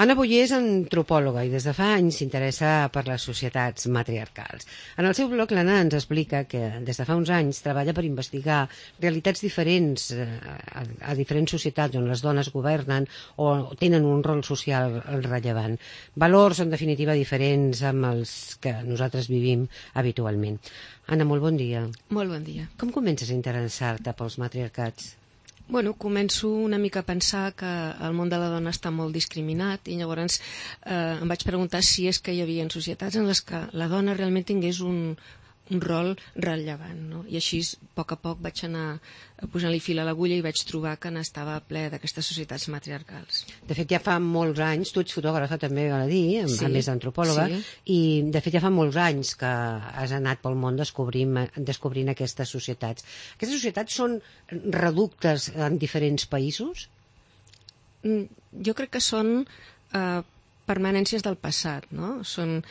Anna Boyer és antropòloga i des de fa anys s'interessa per les societats matriarcals. En el seu blog, l'Anna ens explica que des de fa uns anys treballa per investigar realitats diferents a diferents societats on les dones governen o tenen un rol social rellevant. Valors, en definitiva, diferents amb els que nosaltres vivim habitualment. Anna, molt bon dia. Molt bon dia. Com comences a interessar-te pels matriarcats? Bueno, començo una mica a pensar que el món de la dona està molt discriminat i llavors em vaig preguntar si és que hi havia societats en les que la dona realment tingués un rol rellevant, no? I així, a poc vaig anar posant-li fil a l'agulla i vaig trobar que n'estava ple d'aquestes societats matriarcals. De fet, ja fa molts anys, tu ets fotògrafa també, val a dir, Sí, a més d'antropòloga, sí. i de fet ja fa molts anys que has anat pel món descobrint aquestes societats. Aquestes societats són reductes en diferents països? Jo crec que són permanències del passat, no? Són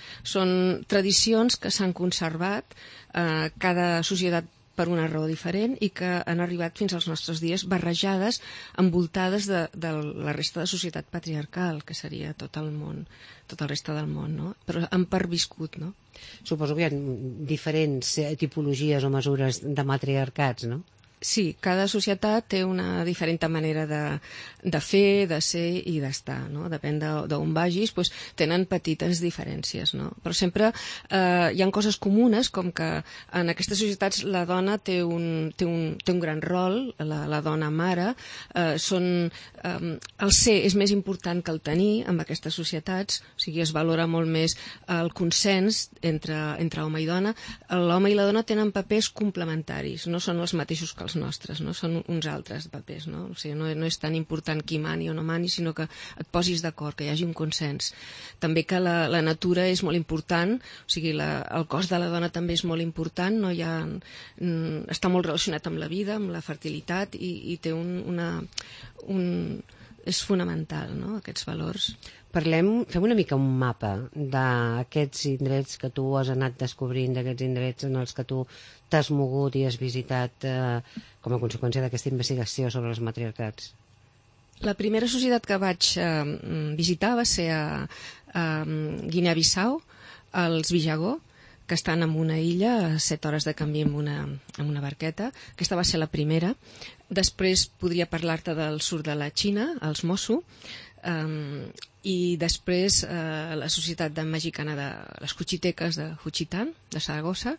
tradicions que s'han conservat, cada societat per una raó diferent i que han arribat fins als nostres dies barrejades, envoltades de la resta de societat patriarcal, que seria tot el món, tot el reste del món, no? Però han perviscut, no? Suposo que hi ha diferents tipologies o mesures de matriarcats, no? Sí, cada societat té una diferent manera de fer, de ser i d'estar, no? Depèn d'on vagis, doncs tenen petites diferències, no? Però sempre hi ha coses comunes, com que en aquestes societats la dona té un gran rol, la dona mare, el ser és més important que el tenir en aquestes societats, o sigui, es valora molt més el consens entre home i dona. L'home i la dona tenen papers complementaris, no són els mateixos que els nostres, no? Són uns altres papers, no? O sigui, no és tan important qui mani o no mani, sinó que et posis d'acord, que hi hagi un consens. També que la natura és molt important, o sigui, el cos de la dona també és molt important, no hi ha, està molt relacionat amb la vida, amb la fertilitat, i té és fonamental, no?, aquests valors. Fem una mica un mapa d'aquests indrets que tu has anat descobrint, d'aquests indrets en els que tu t'has mogut i has visitat com a conseqüència d'aquesta investigació sobre els matriarcats. La primera societat que vaig visitar va ser a Guinea-Bissau, als Bijagó, que estan en una illa a 7 hores de camí amb una barqueta. Aquesta va ser la primera. Després podria parlar-te del sud de la Xina, els Mosu, i després la societat mexicana de les Cuchitecas de Juchitán, de Saragossa,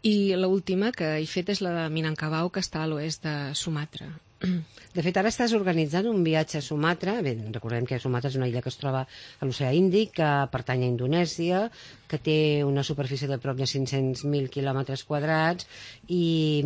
i l'última que he fet és la de Minangkabau, que està a l'oest de Sumatra. De fet, ara estàs organitzant un viatge a Sumatra. Bé, recordem que Sumatra és una illa que es troba a l'oceà Índic, que pertany a Indonèsia, que té una superfície de prop de 500.000 quilòmetres quadrats, i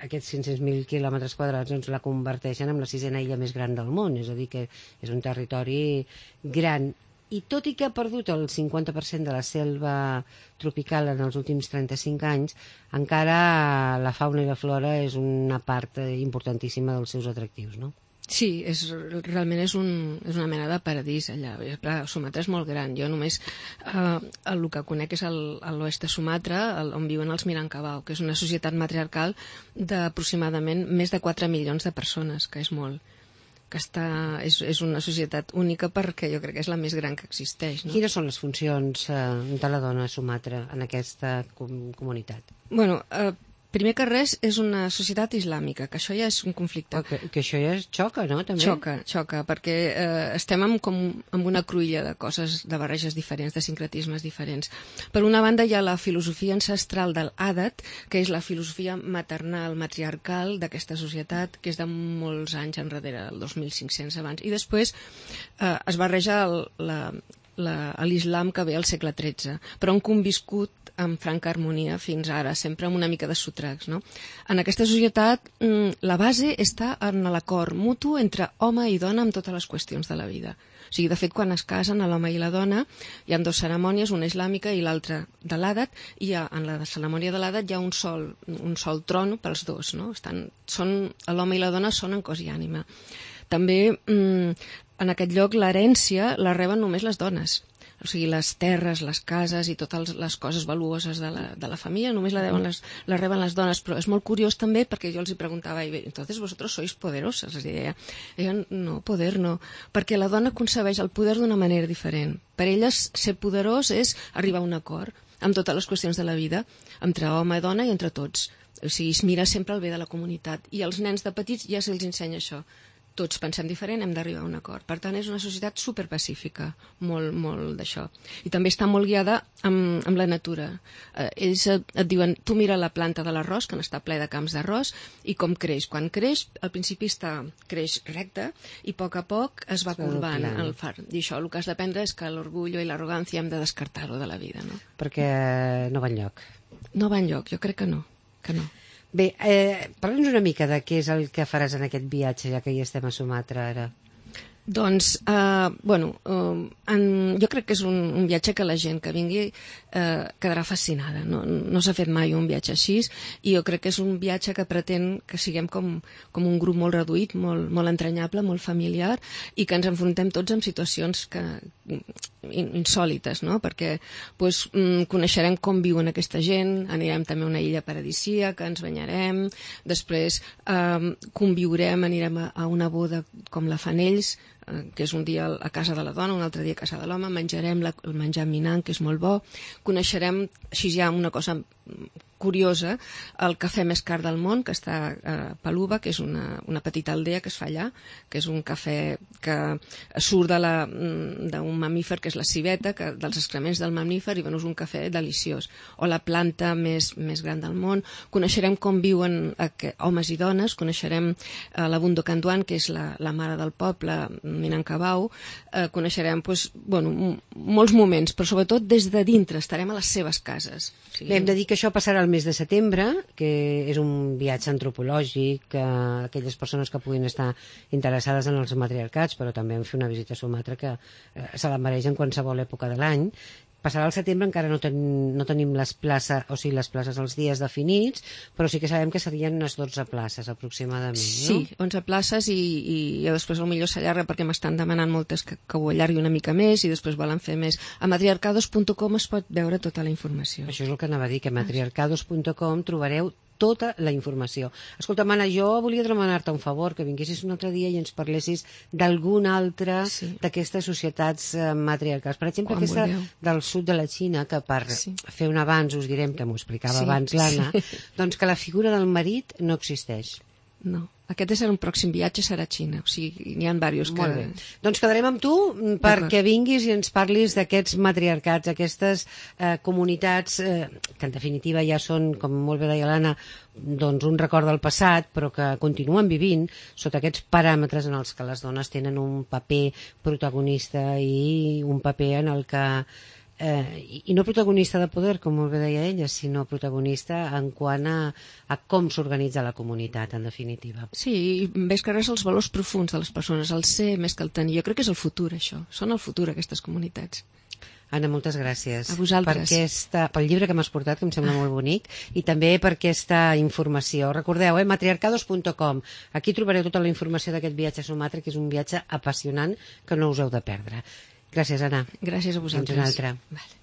aquests 500.000 quilòmetres quadrats doncs, la converteixen en la 6a illa més gran del món, és a dir, que és un territori gran. I tot i que ha perdut el 50% de la selva tropical en els últims 35 anys, encara la fauna i la flora és una part importantíssima dels seus atractius, no? Sí, realment és una mena de paradís allà. Sumatra és molt gran. Jo només el que conec és l'oest de Sumatra, on viuen els Minangkabau, que és una societat matriarcal d'aproximadament més de 4 milions de persones, que és molt. Que és una societat única perquè jo crec que és la més gran que existeix, no? Quines són les funcions de la dona a Sumatra en aquesta comunitat? Bueno, primer que res és una societat islàmica, que això ja és un conflicte. Que això ja xoca, no? També? Xoca, perquè estem amb una cruïlla de coses, de barreges diferents, de sincretismes diferents. Per una banda hi ha la filosofia ancestral del Adat, que és la filosofia maternal, matriarcal d'aquesta societat, que és de molts anys enrere, el 2500 abans. I després es barreja l'islam que ve al segle XIII, però han conviscut amb franca harmonia fins ara, sempre amb una mica de sotracs, no? En aquesta societat la base està en l'acord mutu entre home i dona amb totes les qüestions de la vida. O sigui, de fet, quan es casen l'home i la dona hi ha 2 cerimònies, una islàmica i l'altra de l'Adat, i en la cerimònia de l'Adat hi ha un sol tron pels dos, no? L'home i la dona són en cos i ànima. També en aquest lloc l'herència la reben només les dones. o sigui, les terres, les cases i totes les coses valuoses de la família, només la reben les dones, però és molt curiós també perquè jo els hi preguntava, entonces vosotros sois poderosas, els deia, no, poder no, perquè la dona concebeix el poder d'una manera diferent. Per elles ser poderós és arribar a un acord amb totes les qüestions de la vida, entre home i dona i entre tots. O sigui, es mira sempre el bé de la comunitat. I als nens de petits ja se'ls ensenya això. Tots pensem diferent, hem d'arribar a un acord. Per tant, és una societat superpacífica, molt d'això. I també està molt guiada amb la natura. Ells et diuen, tu mira la planta de l'arròs, que n'està ple de camps d'arròs, i com creix. Quan creix, al principi creix recte, i a poc es va corbant el far. I això, el que has d'aprendre és que l'orgull i l'arrogància hem de descartar-ho de la vida, no? Perquè no va enlloc. No va enlloc, jo crec que no. Bé, parla'ns una mica de què és el que faràs en aquest viatge, ja que hi estem a Sumatra ara. Doncs, jo crec que és un viatge que la gent que vingui quedarà fascinada. No s'ha fet mai un viatge així i jo crec que és un viatge que pretén que siguem com un grup molt reduït, molt entranyable, molt familiar i que ens enfrontem tots amb situacions insòlites, no? Perquè coneixerem com viuen aquesta gent, anirem també a una illa paradisíaca, ens banyarem, després conviurem, anirem a una boda com la fan ells, que és un dia a casa de la dona, un altre dia a casa de l'home, menjarem el menjar minant, que és molt bo, coneixerem, així ja una cosa curiosa, el cafè més car del món, que està a Paluba, que és una petita aldea que es fa allà, que és un cafè que surt d'un mamífer, que és la civeta, dels excrements del mamífer, i és un cafè deliciós. O la planta més gran del món. Coneixerem com viuen homes i dones, coneixerem la Bundo Canduan, que és la mare del poble, Minangkabau, coneixerem molts moments, però sobretot des de dintre, estarem a les seves cases. Bé, hem de dir que això passarà el mes de setembre, que és un viatge antropològic, aquelles persones que puguin estar interessades en els matriarcats, però també en fer una visita a Sumatra que se la mereix en qualsevol època de l'any. Passarà al setembre, encara no tenim les places, o sigui, les places els dies definits, però sí que sabem que serien unes 12 places aproximadament, no? Sí, 11 places i després potser s'allarga perquè m'estan demanant moltes que ho allargui una mica més i després volen fer més. A matriarcados.com es pot veure tota la informació. Això és el que anava a dir, que a matriarcados.com trobareu tota la informació. Escolta, Mana, jo volia demanar-te un favor, que vinguessis un altre dia i ens parlessis d'alguna altra d'aquestes societats matriarcals. Per exemple, aquesta del sud de la Xina, que per fer un avanç us direm, que m'ho explicava abans l'Anna, doncs que la figura del marit no existeix. No. Aquest és un pròxim viatge, serà a Xina. O sigui, n'hi ha diversos que... Molt bé. Doncs quedarem amb tu perquè vinguis i ens parlis d'aquests matriarcats, aquestes comunitats que en definitiva ja són, com molt bé deia l'Anna, doncs un record del passat, però que continuen vivint sota aquests paràmetres en els que les dones tenen un paper protagonista i un paper en el que... i no protagonista de poder, com molt bé deia ella, sinó protagonista en quant a com s'organitza la comunitat, en definitiva. Sí, i ves que res els valors profuns de les persones, el ser més que el tenir. Jo crec que és el futur, això. Són el futur, aquestes comunitats. Anna, moltes gràcies. A vosaltres. Pel llibre que m'has portat, que em sembla molt bonic, i també per aquesta informació. Recordeu, matriarcados.com. Aquí trobareu tota la informació d'aquest viatge a Sumatra, que és un viatge apassionant que no us heu de perdre. Gràcies, Anna. Gràcies a vosaltres. Fins una altra. Vale.